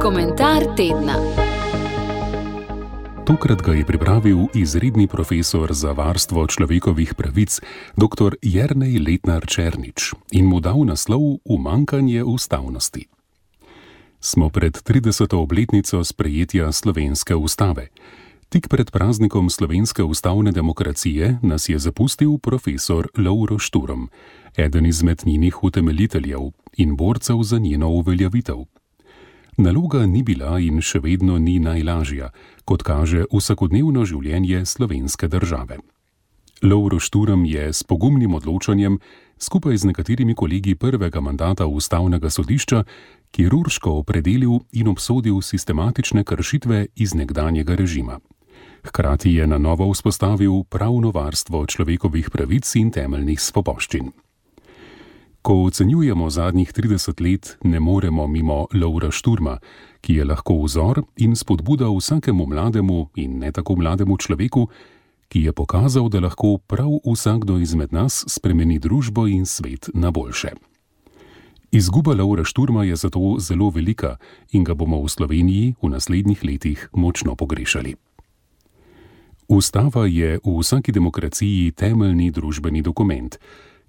Komentar tedna. Tokrat ga je pripravil izredni profesor za varstvo človekovih pravic dr. Jernej Letnar Černič in mu dal naslov Umankanje ustavnosti. Smo pred 30. obletnico sprejetja slovenske ustave. Tik pred praznikom slovenske ustavne demokracije nas je zapustil profesor Lovro Šturm, eden izmed njenih utemeljiteljev in borcev za njeno uveljavitev. Naloga ni bila in še vedno ni najlažja, kot kaže vsakodnevno življenje slovenske države. Lovro Šturm je s pogumnim odločanjem, skupaj z nekaterimi kolegi prvega mandata ustavnega sodišča, kirurško opredelil in obsodil sistematične kršitve iz nekdanjega režima. Hkrati je na novo vzpostavil pravno varstvo človekovih pravic in temeljnih svoboščin. Ko ocenjujemo zadnjih 30 let, ne moremo mimo Lovra Šturma, ki je lahko vzor in spodbuda vsakemu mlademu in ne tako mlademu človeku, ki je pokazal, da lahko prav vsakdo izmed nas spremeni družbo in svet na boljše. Izguba Lovra Šturma je zato zelo velika in ga bomo v Sloveniji v naslednjih letih močno pogrešali. Ustava je v vsaki demokraciji temeljni družbeni dokument,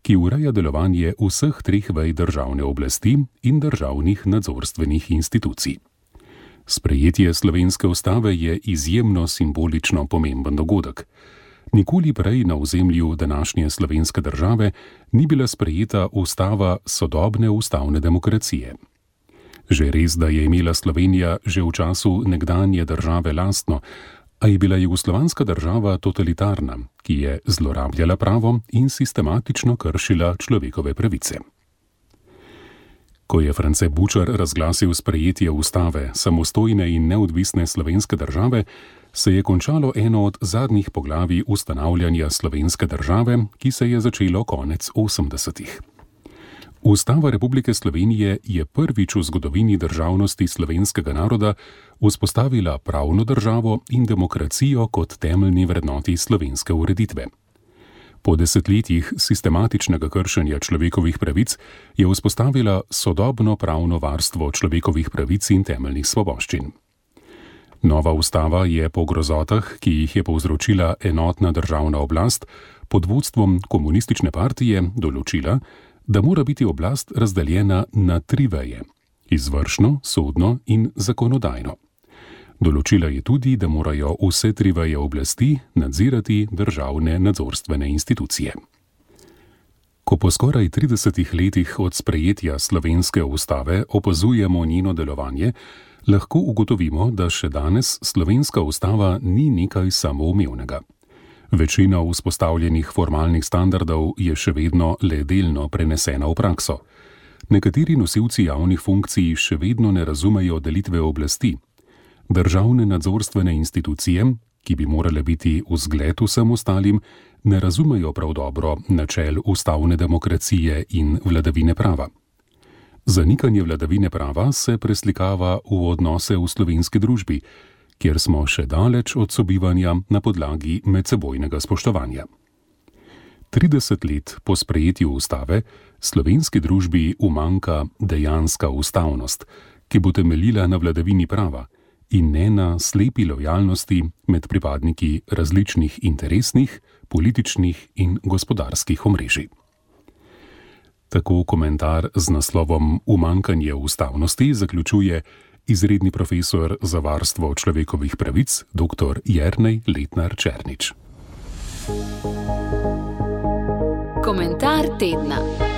ki ureja delovanje vseh treh vej državne oblasti in državnih nadzorstvenih institucij. Sprejetje slovenske ustave je izjemno simbolično pomemben dogodek. Nikoli prej na ozemlju današnje slovenske države ni bila sprejeta ustava sodobne ustavne demokracije. Že res, da je imela Slovenija že v času nekdanje države lastno, a je bila jugoslovanska država totalitarna, ki je zlorabljala pravo in sistematično kršila človekove pravice. Ko je France Bučar razglasil sprejetje ustave samostojne in neodvisne slovenske države, se je končalo eno od zadnjih poglavij ustanavljanja slovenske države, ki se je začelo konec 80-ih. Ustava Republike Slovenije je prvič v zgodovini državnosti slovenskega naroda vzpostavila pravno državo in demokracijo kot temeljni vrednoti slovenske ureditve. Po desetletjih sistematičnega kršenja človekovih pravic je vzpostavila sodobno pravno varstvo človekovih pravic in temeljnih svoboščin. Nova ustava je po grozotah, ki jih je povzročila enotna državna oblast pod vodstvom komunistične partije, določila, da mora biti oblast razdeljena na tri veje: izvršno, sodno in zakonodajno. Določila je tudi, da morajo vse tri veje oblasti nadzirati državne nadzorstvene institucije. Ko po skoraj 30 letih od sprejetja slovenske ustave opazujemo njeno delovanje, lahko ugotovimo, da še danes slovenska ustava ni nekaj samoumevnega. Večina vzpostavljenih formalnih standardov je še vedno le delno prenesena v prakso. Nekateri nosilci javnih funkcij še vedno ne razumejo delitve oblasti. Državne nadzorstvene institucije, ki bi morale biti vzgled vsem ostalim, ne razumejo prav dobro načel ustavne demokracije in vladavine prava. Zanikanje vladavine prava se preslikava v odnose v slovenski družbi, kjer smo še daleč od sobivanja na podlagi medsebojnega spoštovanja. 30 let po sprejetju ustave slovenski družbi umanjka dejanska ustavnost, ki bo temeljila na vladavini prava in ne na slepi lojalnosti med pripadniki različnih interesnih, političnih in gospodarskih omrežij. Tako komentar z naslovom Umankanje ustavnosti zaključuje izredni profesor za varstvo človekovih pravic dr. Jernej Letnar Černič. Komentar tedna.